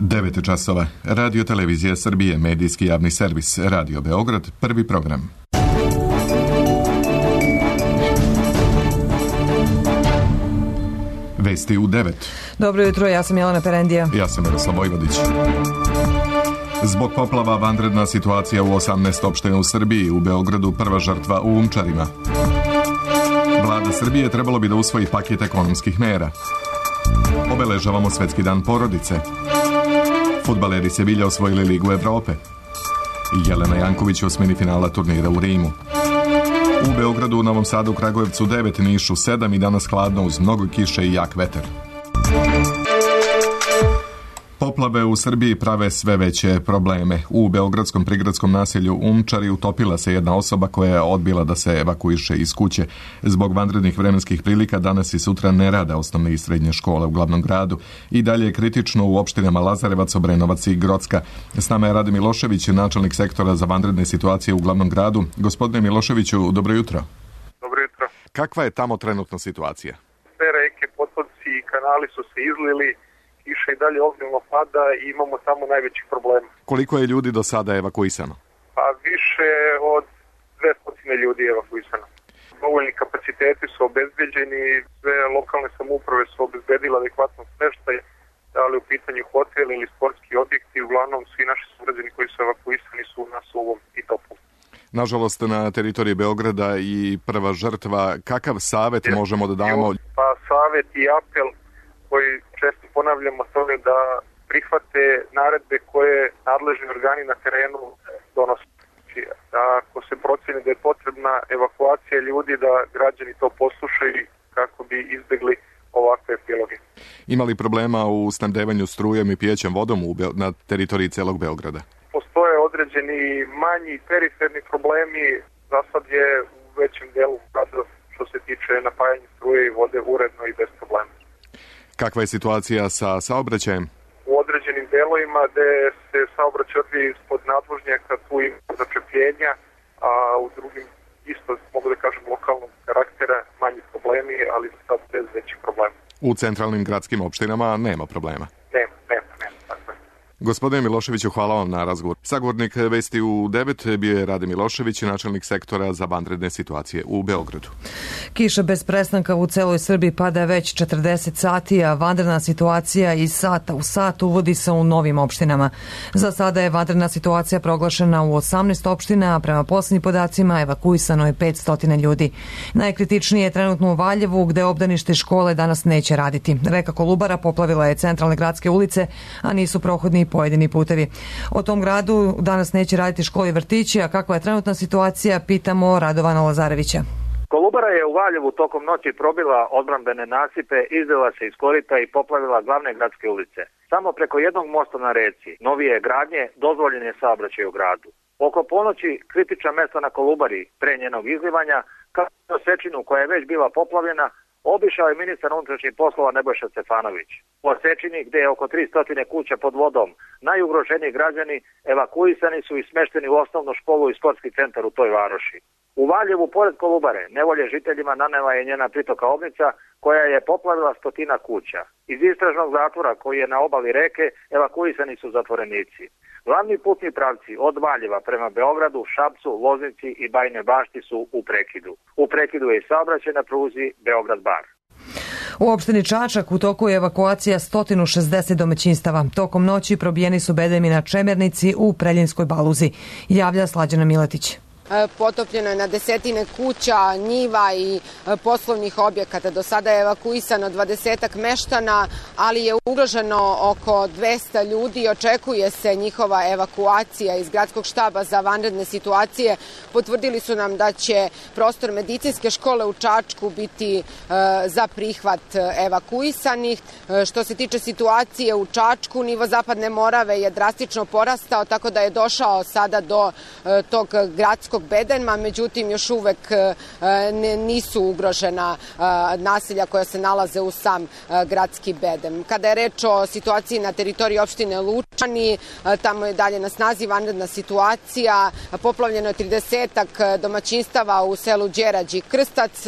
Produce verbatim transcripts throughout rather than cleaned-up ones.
devet časova. Radio Televizija Srbije, medijski javni servis, Radio Beograd, prvi program. Vesti u devet. Dobro jutro, ja sam Jelena Perendija. Ja sam Miroslav Vojvodić. Zbog poplava vanredna situacija u osamnaest opština u Srbiji, u Beogradu prva žrtva u Umčarima. Vlada Srbije trebalo bi da usvoji paket ekonomskih mera. Obeležavamo Svetski dan porodice. Fudbaleri Sevilja osvojili Ligu Evrope. Jelena Janković u osmini finala turnira u Rimu. U Beogradu, Novom Sadu, Kragujevcu devet, Nišu sedam i danas hladno uz mnogo kiše i jak vetar. Poplave u Srbiji prave sve veće probleme. U beogradskom prigradskom naselju Umčari utopila se jedna osoba koja je odbila da se evakuiše iz kuće. Zbog vanrednih vremenskih prilika danas i sutra ne rade osnovne i srednje škole u glavnom gradu. I dalje je kritično u opštinama Lazarevac, Obrenovac i Grocka. S nama je Rade Milošević, načelnik sektora za vanredne situacije u glavnom gradu. Gospodine Miloševiću, dobro jutro. Dobro jutro. Kakva je tamo trenutno situacija? Sve reke, potoci i kanali su se izlili. Kiša i dalje obilno pada i imamo tamo najvećih problema. Koliko je ljudi do sada evakuisano? Pa više od dvesta ljudi je evakuisano. Dovoljni kapaciteti su obezbeđeni, sve lokalne samouprave su obezbedile adekvatno smeštaj, da li u pitanju hotel ili sportski objekti, uglavnom svi naši sugrađani koji su evakuisani su na suvom i toplu. Nažalost, na teritoriji Beograda i prva žrtva, kakav savet je, možemo da damo? Pa savet i apel koji često ponavljamo to je da prihvate naredbe koje nadležni organi na terenu donose. Ako se proceni da je potrebna evakuacija ljudi, da građani to poslušaju kako bi izbegli ovakve epiloge. Ima li problema u snabdevanju strujem i pijećem vodom u Be- na teritoriji celog Beograda? Postoje određeni manji periferni problemi, za sad je u većem delu grada što se tiče napajanja struje i vode uredno i bez problema. Kakva je situacija sa saobraćajem? U određenim delovima gde se saobraćaj odvija ispod nadvožnjaka, tu ima začepljenja, a u drugim isto, mogu da kažem, lokalnog karaktera, manji problemi, ali sad bez većih problema. U centralnim gradskim opštinama nema problema? Nema, nema, nema, tako je. Gospodine Miloševiću, hvala vam na razgovor. Sagovornik Vesti u devet bio je Rade Milošević, načelnik sektora za vanredne situacije u Beogradu. Kiša bez prestanka u celoj Srbiji pada već četrdeset sati, a vanredna situacija iz sata u sat uvodi se u novim opštinama. Za sada je vanredna situacija proglašena u osamnaest opština, a prema poslednjim podacima evakuisano je petsto ljudi. Najkritičnije je trenutno u Valjevu, gde obdanište škole danas neće raditi. Reka Kolubara poplavila je centralne gradske ulice, a nisu prohodni pojedini putevi. O tom gradu danas neće raditi škole i vrtići, a kakva je trenutna situacija, pitamo Radovana Lazarevića. Kolubara je u Valjevu tokom noći probila odbrambene nasipe, izlila se iz korita i poplavila glavne gradske ulice. Samo preko jednog mosta na reci, novije gradnje, dozvoljen je saobraćaj u gradu. Oko ponoći kritična mesta na Kolubari pre njenog izlivanja, kao i Osečinu koja je već bila poplavljena, obišao je ministar unutrašnjih poslova Nebojša Stefanović. U Osečini, gde je oko tristo kuća pod vodom, najugroženiji građani evakuisani su i smešteni u osnovnu školu i sportski centar u toj varoši. U Valjevu, pored Kolubare, nevolje žiteljima nanela je njena pritoka Obnica, koja je poplavila stotina kuća. Iz istražnog zatvora koji je na obali reke evakuisani su zatvorenici. Glavni putni pravci od Valjeva prema Beogradu, Šapcu, Loznici i Bajinoj Bašti su u prekidu. U prekidu je i saobraćaj na pruzi Beograd-Bar. U opštini Čačak u toku je evakuacija sto šezdeset domaćinstava. Tokom noći probijeni su bedemi na Čemernici u Preljinskoj Baluzi. Javlja Slađana Miletić. Potopljeno je na desetine kuća, njiva i poslovnih objekata. Do sada je evakuisano dvadesetak meštana, ali je ugroženo oko dvesta ljudi. Očekuje se njihova evakuacija iz gradskog štaba za vanredne situacije. Potvrdili su nam da će prostor medicinske škole u Čačku biti za prihvat evakuisanih. Što se tiče situacije u Čačku, nivo Zapadne Morave je drastično porastao, tako da je došao sada do tog gradskog gradskog bedema, međutim još uvek nisu ugrožena naselja koja se nalaze u sam gradski bedem. Kada je reč o situaciji na teritoriji opštine Lučani, tamo je dalje na snazi vanredna situacija, poplavljeno je tridesetak domaćinstava u selu Đerđ i Krstac.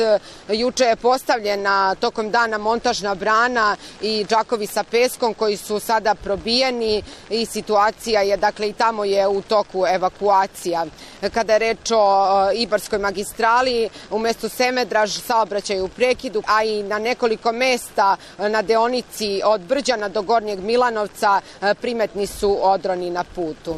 Juče je postavljena tokom dana montažna brana i džakovi sa peskom koji su sada probijeni i situacija je, dakle i tamo je u toku evakuacija. Kada je reč o Ibarskoj magistrali, u mestu Semedraž saobraćaj u prekidu, a i na nekoliko mesta na deonici od Brđana do Gornjeg Milanovca primetni su odroni na putu.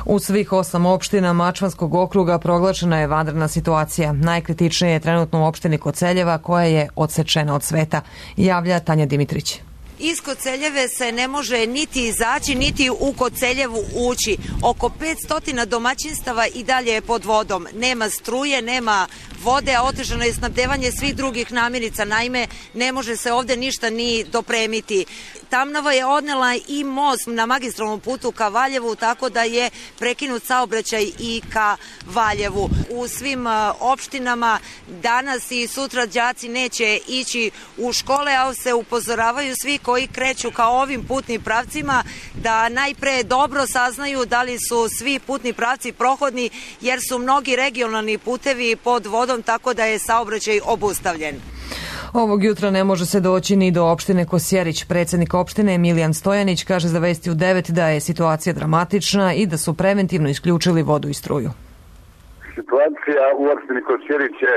U svih osam opština Mačvanskog okruga proglašena je vanredna situacija. Najkritičnije je trenutno u opštini Koceljeva koja je odsečena od sveta, javlja Tanja Dimitrić. Iz Koceljeve se ne može niti izaći, niti u Koceljevu ući. Oko petsto domaćinstava i dalje je pod vodom. Nema struje, nema vode, a otežano je snabdevanje svih drugih namirnica. Naime, ne može se ovde ništa ni dopremiti. Tamnava je odnela i most na magistralnom putu ka Valjevu, tako da je prekinut saobraćaj i ka Valjevu. U svim opštinama danas i sutra đaci neće ići u škole, a se upozoravaju svi koji kreću ka ovim putnim pravcima da najpre dobro saznaju da li su svi putni pravci prohodni, jer su mnogi regionalni putevi pod vodom, tako da je saobraćaj obustavljen. Ovog jutra ne može se doći ni do opštine Kosjerić. Predsjednik opštine Emilijan Stojanić kaže za Vesti u devet da je situacija dramatična i da su preventivno isključili vodu i struju. Situacija u opštini Kosjerić je,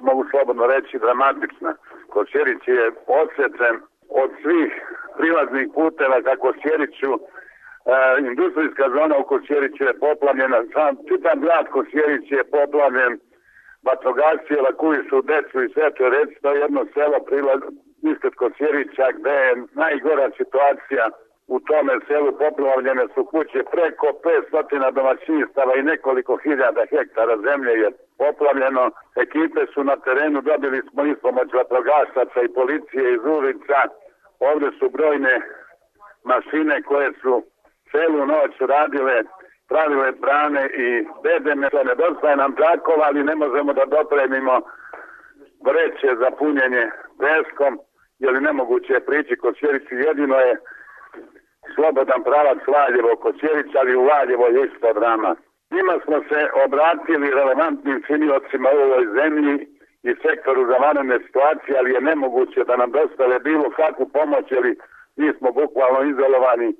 mogu slobodno reći, dramatična. Kosjerić je odsečen od svih prilaznih puteva ka Kosjeriću. E, industrijska zona u Kosjeriću je poplavljena. Sam čitav grad Kosjerić je poplavljen. Vatrogasci evakuišu decu i sve to reći, to je jedno selo prilaz ispred Kosjerića gde je najgora situacija. U tome selu poplavljene su kuće, preko petsto domaćinstava i nekoliko hiljada hektara zemlje je poplavljeno. Ekipe su na terenu, dobili smo ispomoć vatrogasaca i policije iz ulica. Ovde su brojne mašine koje su celu noć radile, pravile brane i bedeme. Nedostaje nam džakova, ali ne možemo da dopremimo vreće za punjenje peskom, jer nemoguće je prići Kosjeriću. Jedino je slobodan pravac Valjevo Kosjerić, ali u Valjevo je isto drama. Njima smo se obratili relevantnim činiocima u ovoj zemlji i sektoru za vanredne situacije, ali je nemoguće da nam dostave bilo kakvu pomoć, jer mi smo bukvalno izolovani.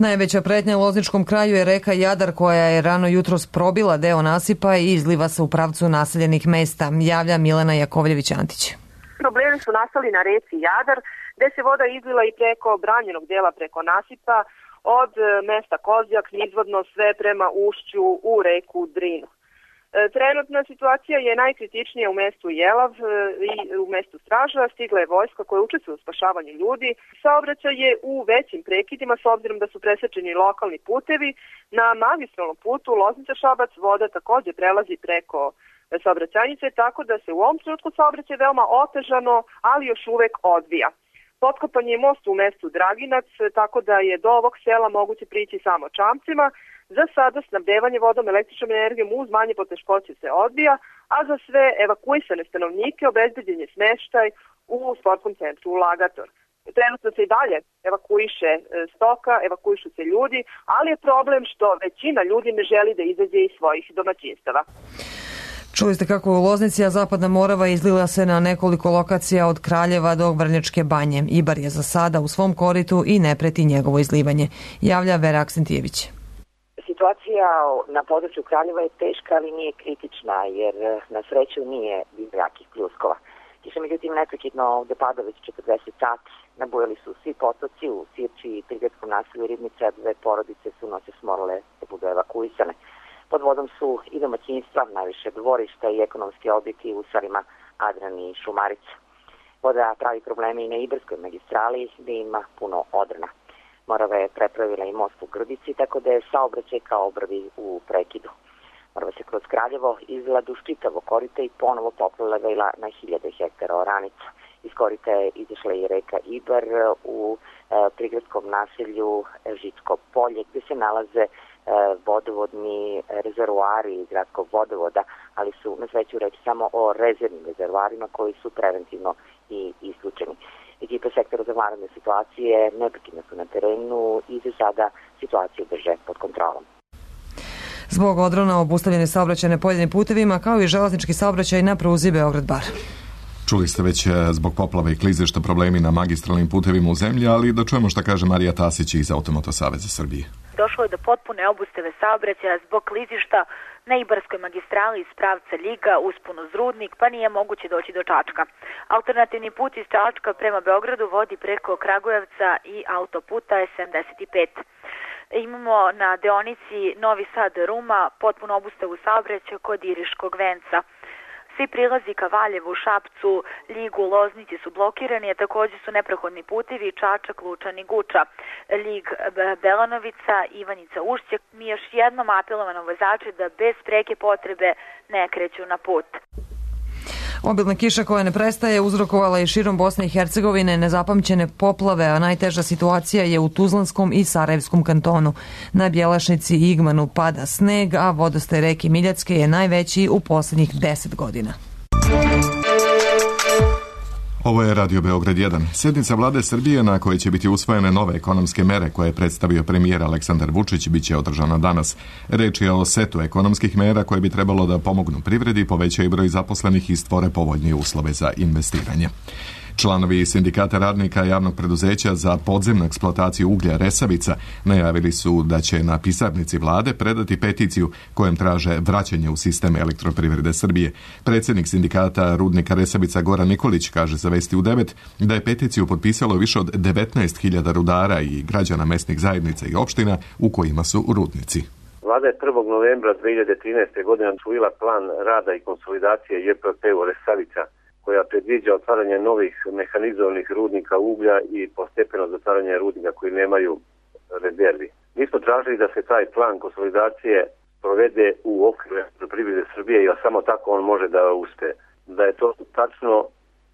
Najveća pretnja u Lozničkom kraju je reka Jadar koja je rano jutros probila deo nasipa i izliva se u pravcu naseljenih mesta, javlja Milena Jakovljević-Antić. Problemi su nastali na reci Jadar, gde se voda izlila i preko branjenog dela preko nasipa od mesta Kozjak nizvodno sve prema ušću u reku Drinu. Trenutna situacija je najkritičnija u mestu Jelav i u mestu Straža. Stigla je vojska koja učestvuje u spašavanju ljudi. Saobraćaj je u većim prekidima s obzirom da su presečeni lokalni putevi. Na magistralnom putu Loznica-Šabac voda takođe prelazi preko saobraćajnice, tako da se u ovom trenutku saobraćaj veoma otežano, ali još uvek odvija. Potkopan je most u mestu Draginac, tako da je do ovog sela moguće prići samo čamcima. Za sada snabdevanje vodom, električnom energijom uz manje poteškoće se odbija, a za sve evakuisane stanovnike obezbeđen je smeštaj u sportskom centru Lagator. Trenutno se i dalje evakuiše stoka, evakuišu se ljudi, ali je problem što većina ljudi ne želi da izađe iz svojih domaćinstava. Čuli ste kako u Loznici, a Zapadna Morava izlila se na nekoliko lokacija od Kraljeva do Vrnjačke banje. Ibar je za sada u svom koritu i ne preti njegovo izlivanje, javlja Vera Aksentijević. Situacija na području Kraljeva je teška, ali nije kritična, jer na sreću nije bilo jakih pljuskova. Kiša međutim neprekidno ovde pada već četrdeset sati. Nabujali su svi potoci u Sirči i Prigradskom naselju Ribnica, dve porodice su noćas morale da budu evakuisane. Pod vodom su i domaćinstva, najviše dvorišta i ekonomski objekti u selima Adran i Šumarica. Voda pravi probleme i na Ibarskoj magistrali gde ima puno odrna. Morava je prepravila i most u Grdici, tako da je saobraćaj kao obrvi u prekidu. Morava se kroz Kraljevo izvela duž čitavo korita i ponovo poplavila na hiljade hektara oranica. Iz korita je izašla i reka Ibar u e, prigradskom naselju Žitsko polje, gde se nalaze vodovodni rezervoari gradskog vodovoda, ali su na sreću reći samo o rezervnim rezervoarima koji su preventivno i isključeni. Ekipe sektora za vanredne situacije neprekidno su na terenu i za sada situaciju drže pod kontrolom. Zbog odrona obustavljene saobraćaje na pojedinim putevima, kao i železnički saobraćaj na pruzi Beograd-Bar. Čuli ste već zbog poplave i klizišta problemi na magistralnim putevima u zemlji, ali da čujemo šta kaže Marija Tasić iz Automoto Saveza Srbije. Došlo je do potpune obustave saobraćaja zbog klizišta na Ibarskoj magistrali iz pravca Ljiga uspon uz Rudnik, pa nije moguće doći do Čačka. Alternativni put iz Čačka prema Beogradu vodi preko Kragujevca i autoputa sedamdeset pet. Imamo na deonici Novi Sad-Ruma potpuno obustavu saobraćaja kod Iriškog venca. Svi prilazi ka Valjevu, Šapcu, Ljigu, Loznici su blokirani, a također su neprohodni putevi Čačak, Lučan i Guča, Ljig, Belanovica, Ivanjica, Ušće. Mi još jednom apelujemo na vozače da bez preke potrebe ne kreću na put. Obilna kiša koja ne prestaje uzrokovala i širom Bosne i Hercegovine nezapamćene poplave, a najteža situacija je u Tuzlanskom i Sarajevskom kantonu. Na Bjelašnici i Igmanu pada sneg, a vodostaj reke Miljacke je najveći u posljednjih deset godina. Ovo je Radio Beograd jedan. Sjednica Vlade Srbije na kojoj će biti usvojene nove ekonomske mere koje je predstavio premijer Aleksandar Vučić bit će održana danas. Reč je o setu ekonomskih mera koje bi trebalo da pomognu privredi, povećaju broj zaposlenih i stvore povoljnije uslove za investiranje. Članovi Sindikata radnika javnog preduzeća za podzemnu eksploataciju uglja Resavica najavili su da će na pisarnici vlade predati peticiju kojom traže vraćanje u sistem Elektroprivrede Srbije. Predsjednik Sindikata rudnika Resavica Goran Nikolić kaže za Vesti u devet da je peticiju potpisalo više od devetnaest hiljada rudara i građana mesnih zajednica i opština u kojima su rudnici. Vlada je prvog novembra dve hiljade trinaeste. godine usvojila plan rada i konsolidacije J P P u Resavica, koja predviđa otvaranje novih mehanizovanih rudnika uglja i postepeno zatvaranje rudnika koji nemaju rezervi. Mi smo tražili da se taj plan konsolidacije provede u okviru Elektroprivrede Srbije i samo tako on može da uspe. Da je to tačno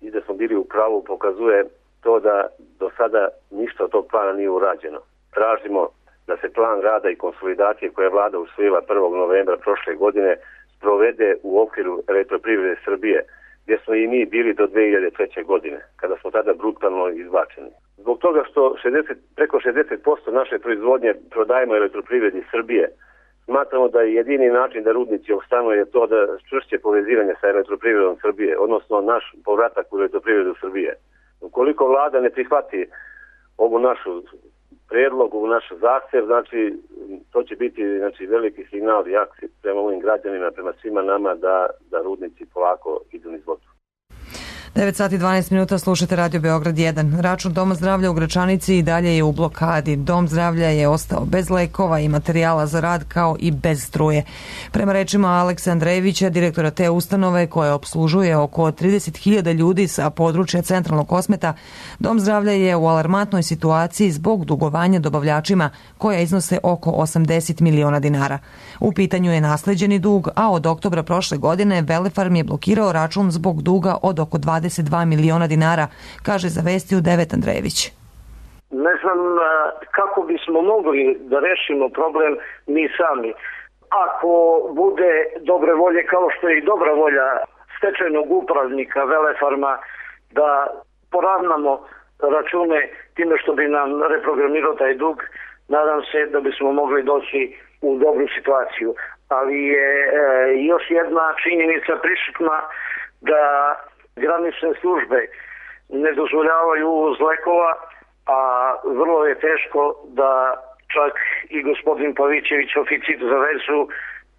i da smo bili u pravu pokazuje to da do sada ništa od tog plana nije urađeno. Tražimo da se plan rada i konsolidacije koje je vlada usvojila prvog novembra prošle godine sprovede u okviru Elektroprivrede Srbije, gdje smo i mi bili do dve hiljade treće. godine, kada smo tada brutalno izbačeni. Zbog toga što šezdeset, preko šezdeset posto naše proizvodnje prodajemo Elektroprivredi Srbije, smatramo da je jedini način da rudnici opstanu je to da čvršće povezivanje sa Elektroprivredom Srbije, odnosno naš povratak u Elektroprivredu Srbije. Ukoliko vlada ne prihvati ovu našu predlog, ovu našu zahtjev, znači to će biti znači, veliki signal i akcija prema ovim građanima, prema svima nama da, da rudnici polako idu niz vodu. devet sati i dvanaest minuta, slušate Radio Beograd jedan. Račun Doma zdravlja u Gračanici i dalje je u blokadi. Dom zdravlja je ostao bez lekova i materijala za rad kao i bez struje. Prema rečima Aleksa Andrejevića, direktora te ustanove koja opslužuje oko trideset hiljada ljudi sa područja centralnog Kosmeta, Dom zdravlja je u alarmantnoj situaciji zbog dugovanja dobavljačima koja iznose oko osamdeset miliona dinara. U pitanju je nasleđeni dug, a od oktobra prošle godine Velefarm je blokirao račun zbog duga od oko dvadeset dva miliona dinara, kaže za Vesti u devet Andrejević. Ne znam kako bismo mogli da rešimo problem mi sami. Ako bude dobre volje, kao što je i dobra volja stečajnog upravnika Velefarma, da poravnamo račune time što bi nam reprogramirao taj dug, nadam se da bismo mogli doći u dobru situaciju. Ali je e, još jedna činjenica prisutna da granične službe ne dozvoljavaju uvoz lekova, a vrlo je teško da čak i gospodin Pavićević, oficir za vezu,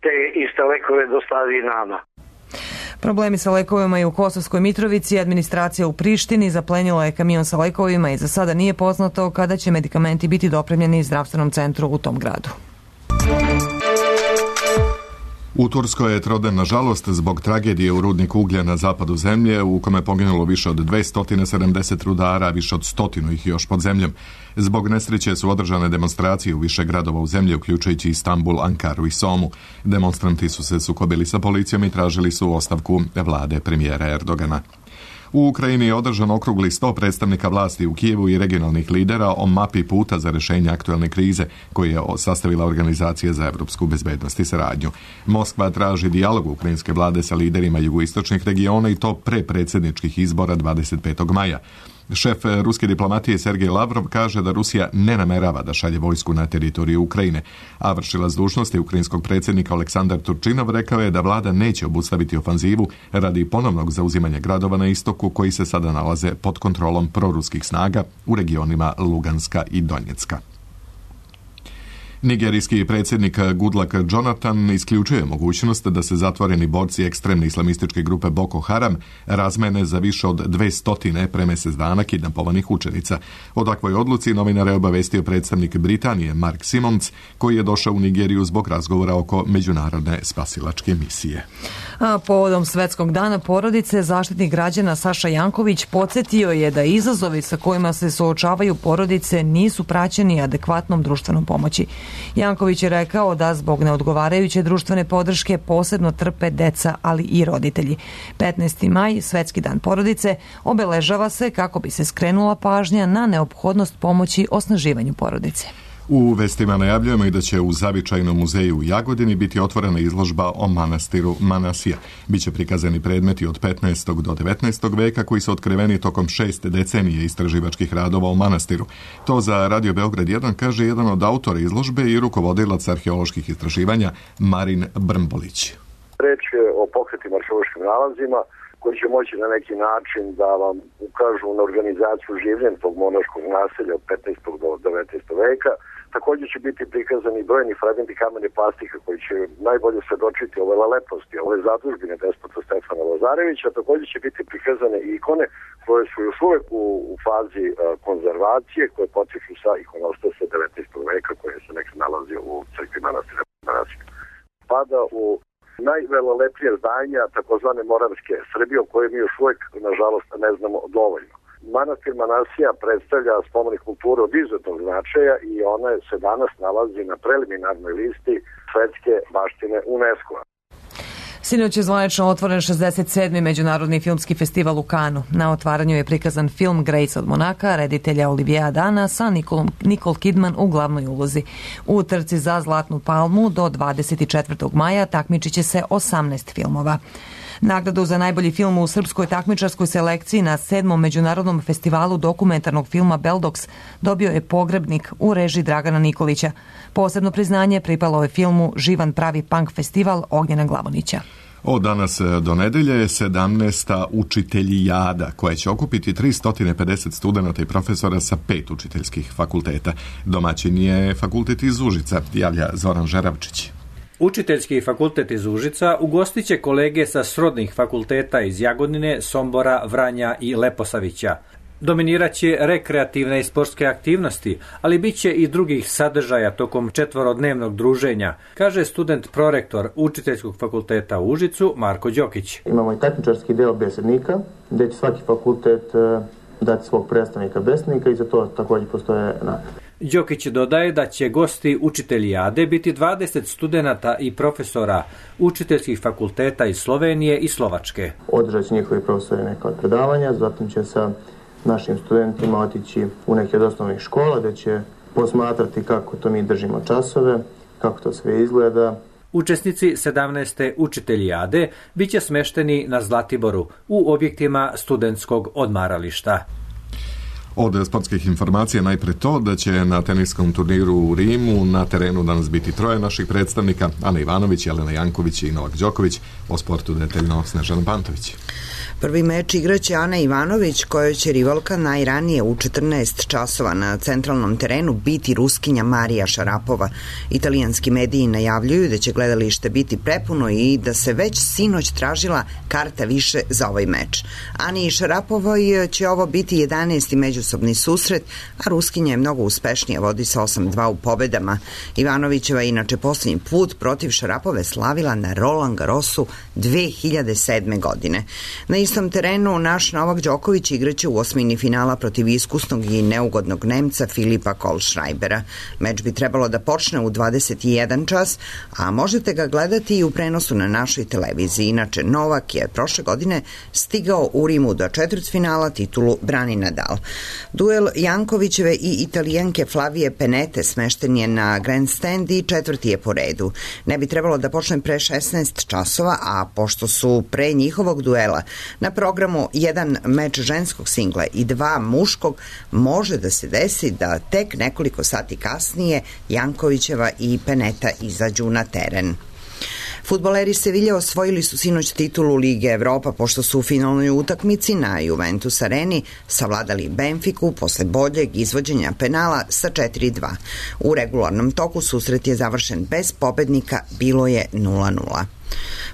te iste lekove dostavi nama. Problemi sa lekovima i u Kosovskoj Mitrovici, administracija u Prištini zaplenila je kamion sa lekovima i za sada nije poznato kada će medikamenti biti dopremljeni zdravstvenom centru u tom gradu. U Turskoj je troden, nažalost, zbog tragedije u rudniku uglja na zapadu zemlje, u kome je poginulo više od dvesta sedamdeset rudara, a više od stotinu ih još pod zemljom. Zbog nesreće su održane demonstracije u više gradova u zemlji, uključujući Istanbul, Ankaru i Somu. Demonstranti su se sukobili sa policijom i tražili su ostavku vlade premijera Erdogana. U Ukrajini je održan okrugli sto predstavnika vlasti u Kijevu i regionalnih lidera o mapi puta za rješenje aktualne krize koju je sastavila Organizacija za evropsku bezbednost i saradnju. Moskva traži dijalog ukrajinske vlade sa liderima jugoistočnih regiona i to pre predsjedničkih izbora dvadeset petog maja. Šef ruske diplomatije Sergej Lavrov kaže da Rusija ne namerava da šalje vojsku na teritoriju Ukrajine, a vršilac dužnosti ukrajinskog predsjednika Aleksandar Turčinov rekao je da vlada neće obustaviti ofanzivu radi ponovnog zauzimanja gradova na istoku koji se sada nalaze pod kontrolom proruskih snaga u regionima Luganska i Donjecka. Nigerijski predsjednik Goodluck Jonathan isključuje mogućnost da se zatvoreni borci ekstremne islamističke grupe Boko Haram razmene za više od dvesta pre mjesec dana kidnapovanih učenica. O takvoj odluci novinare obavestio predstavnik Britanije Mark Simons, koji je došao u Nigeriju zbog razgovora oko međunarodne spasilačke misije. A povodom Svetskog dana porodice, zaštitnik građana Saša Janković podsjetio je da izazovi sa kojima se suočavaju porodice nisu praćeni adekvatnom društvenom pomoći. Janković je rekao da zbog neodgovarajuće društvene podrške posebno trpe deca, ali i roditelji. petnaesti maj, Svetski dan porodice, obeležava se kako bi se skrenula pažnja na neophodnost pomoći osnaživanju porodice. U vestima najavljujemo i da će u Zavičajnom muzeju u Jagodini biti otvorena izložba o manastiru Manasija. Biće prikazani predmeti od petnaestog do devetnaestog veka koji su otkriveni tokom šest decenije istraživačkih radova o manastiru. To za Radio Beograd jedan kaže jedan od autora izložbe i rukovodilac arheoloških istraživanja Marin Brmbolić. Reč je o pokretnim arheološkim nalazima koji će moći na neki način da vam ukažu na organizaciju življenja tog monaškog naselja od petnaestog do devetnaestog veka. Također će biti prikazani brojni fragmenti kamene plastike koji će najbolje svedočiti ove leposti, ove zadužbine despota Stefana Lazarevića. Također će biti prikazane i ikone koje su još uvijek u, u fazi uh, konzervacije, koje potiču sa ikonostasa devetnaestog veka koje se nek nalazi u crkvi manastira Manasija. Pada u najvelelepnije zdanja takozvane Moravske Srbije, o kojoj mi još uvijek, nažalost, ne znamo dovoljno. Manastir Manasija predstavlja spomenik kulture od izuzetnog značaja i ona se danas nalazi na preliminarnoj listi svetske baštine UNESCO-a. Sinoć je zvanično otvoren šezdeset sedmi Međunarodni filmski festival u Kanu. Na otvaranju je prikazan film Grace od Monaka, reditelja Olivia Dana sa Nikolom, Nicole Kidman u glavnoj ulozi. U trci za Zlatnu palmu do dvadeset četvrtog maja takmičit će se osamnaest filmova. Nagradu za najbolji film u srpskoj takmičarskoj selekciji na sedmom Međunarodnom festivalu dokumentarnog filma Beldox dobio je Pogrebnik u režiji Dragana Nikolića. Posebno priznanje pripalo je filmu Živan pravi punk festival Ognjena Glavonića. Od danas do nedelje je sedamnaesta učiteljijada koja će okupiti tristo pedeset studenata i profesora sa pet učiteljskih fakulteta. Domaćin je fakultet iz Užica, javlja Zoran Žeravčić. Učiteljski fakultet iz Užica ugostit će kolege sa srodnih fakulteta iz Jagodine, Sombora, Vranja i Leposavića. Dominirat će rekreativne i sportske aktivnosti, ali bit će i drugih sadržaja tokom četvorodnevnog druženja, kaže student prorektor Učiteljskog fakulteta u Užicu Marko Đokić. Imamo i takmičarski deo besednika, gdje će svaki fakultet dati svog predstavnika besednika i za to također postoje nagrade. Đokić dodaje da će gosti učiteljijade biti dvadeset studenata i profesora učiteljskih fakulteta iz Slovenije i Slovačke. Održat će njihovi profesori neka od predavanja, zatim će sa našim studentima otići u neke od osnovnih škola gdje će posmatrati kako to mi držimo časove, kako to sve izgleda. Učesnici sedamnaeste učiteljijade bit će smešteni na Zlatiboru u objektima studentskog odmarališta. Od sportskih informacija najpre to da će na teniskom turniru u Rimu na terenu danas biti troje naših predstavnika, Ana Ivanović, Jelena Janković i Novak Đoković. O sportu detaljno Snežana Pantović. Prvi meč igraće Ana Ivanović, kojoj će rivalka najranije u četrnaest časova na centralnom terenu biti Ruskinja Marija Šarapova. Italijanski mediji najavljuju da će gledalište biti prepuno i da se već sinoć tražila karta više za ovaj meč. Ani Šarapovoj će ovo biti jedanaesti međunarodni međusobni susret, a Ruskinja je mnogo uspešnija, vodi sa osam dva u pobedama. Ivanovićeva je inače posljednji put protiv Šarapove slavila na Roland Garrosu dve hiljade sedme. godine. Na istom terenu naš Novak Đoković igraće u osmini finala protiv iskusnog i neugodnog Nemca Filipa Kohlschreibera. Meč bi trebalo da počne u dvadeset i jedan čas, a možete ga gledati i u prenosu na našoj televiziji. Inače, Novak je prošle godine stigao u Rimu do četvrtfinala, titulu brani Nadal. Duel Jankovićeve i Italijanke Flavije Penete smešten je na grandstand i četvrti je po redu. Ne bi trebalo da počne pre šesnaest časova, a pošto su pre njihovog duela na programu jedan meč ženskog singla i dva muškog, može da se desi da tek nekoliko sati kasnije Jankovićeva i Peneta izađu na teren. Fudbaleri Sevilje osvojili su sinoć titulu Lige Evropa pošto su u finalnoj utakmici na Juventus areni savladali Benfiku posle boljeg izvođenja penala sa četiri dva. U regularnom toku susret je završen bez pobednika, bilo je nula nula.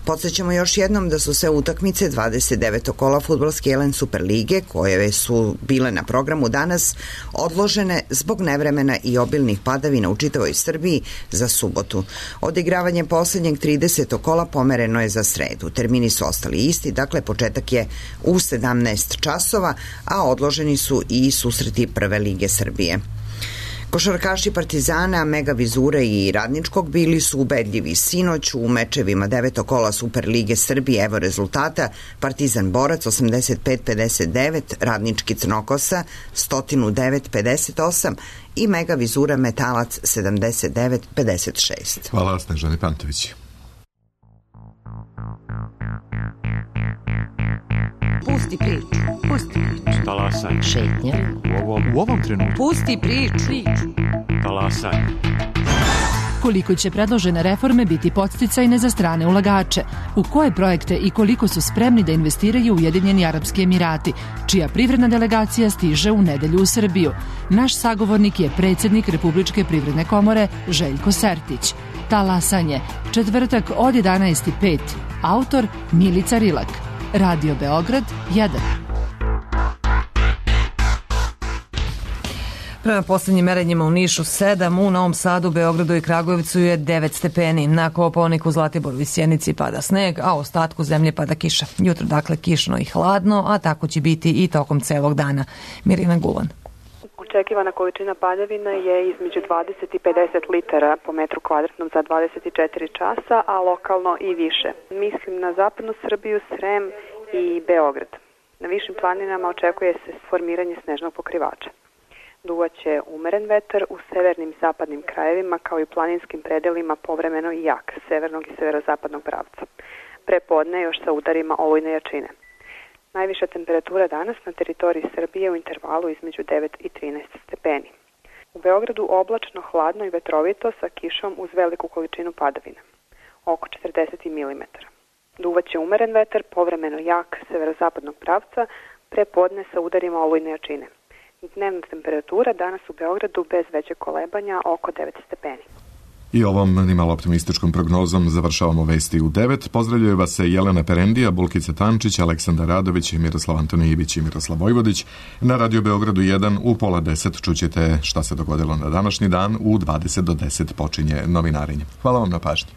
Podsjećamo još jednom da su se utakmice dvadeset devetog kola fudbalske Jelen Superlige, koje su bile na programu danas, odložene zbog nevremena i obilnih padavina u čitavoj Srbiji za subotu. Odigravanje poslednjeg tridesetog kola pomereno je za sredu. Termini su ostali isti, dakle početak je u sedamnaest časova, a odloženi su i susreti Prve lige Srbije. Košarkaši Partizana, Mega Vizure i Radničkog bili su ubedljivi sinoć u mečevima devetog kola Superlige Srbije. Evo rezultata: Partizan Borac osamdeset pet pedeset devet, Radnički Crnokosa sto devet pedeset osam i Mega Vizura Metalac sedamdeset devet pedeset šest. Hvala, Snežani Pantović. Pusti priču, pusti priču. Talasaj. Šetnja. U ovom, u ovom trenutku. Pusti priču. Talasaj. Koliko će predložene reforme biti podsticajne za strane ulagače? U koje projekte i koliko su spremni da investiraju Ujedinjeni Arapski Emirati, čija privredna delegacija stiže u nedelju u Srbiju? Naš sagovornik je predsjednik Republičke privredne komore Željko Sertić. Talasanje, četvrtak od jedanaest i pet. Autor Milica Rilak. Radio Beograd jedan. Prema posljednjim merenjima u Nišu sedam, u Novom Sadu, Beogradu i Kragujevcu je devet stepeni. Na Kopaoniku, Zlatiboru i Sjenici pada sneg, a u ostatku zemlje pada kiša. Jutro dakle kišno i hladno, a tako će biti i tokom celog dana. Mirina Gulan. Očekivana količina padavina je između dvadeset i pedeset litara po metru kvadratnom za dvadeset četiri časa, a lokalno i više. Mislim na zapadnu Srbiju, Srem i Beograd. Na višim planinama očekuje se formiranje snežnog pokrivača. Duvaće umeren vetar u severnim i zapadnim krajevima, kao i planinskim predelima povremeno i jak, severnog i severozapadnog pravca. Prepodne još sa udarima olujne jačine. Najviša temperatura danas na teritoriji Srbije u intervalu između devet i trinaest stepeni. U Beogradu oblačno, hladno i vetrovito sa kišom uz veliku količinu padavina, oko četrdeset milimetara. Duvaće umeren vetar, povremeno jak, severozapadnog pravca, prepodne sa udarima olujne jačine. Dnevna temperatura danas u Beogradu bez većeg kolebanja oko devet stepeni. I ovom nimalo optimističkom prognozom završavamo vesti u devet. Pozdravljaju vas se Jelena Perendija, Bulkica Tančić, Aleksandar Radović, Miroslav Antonijević i Miroslav Vojvodić. Na Radio Beogradu jedan u pola deset čućete šta se dogodilo na današnji dan. U dvadeset do deset počinje novinarenje. Hvala vam na pažnji.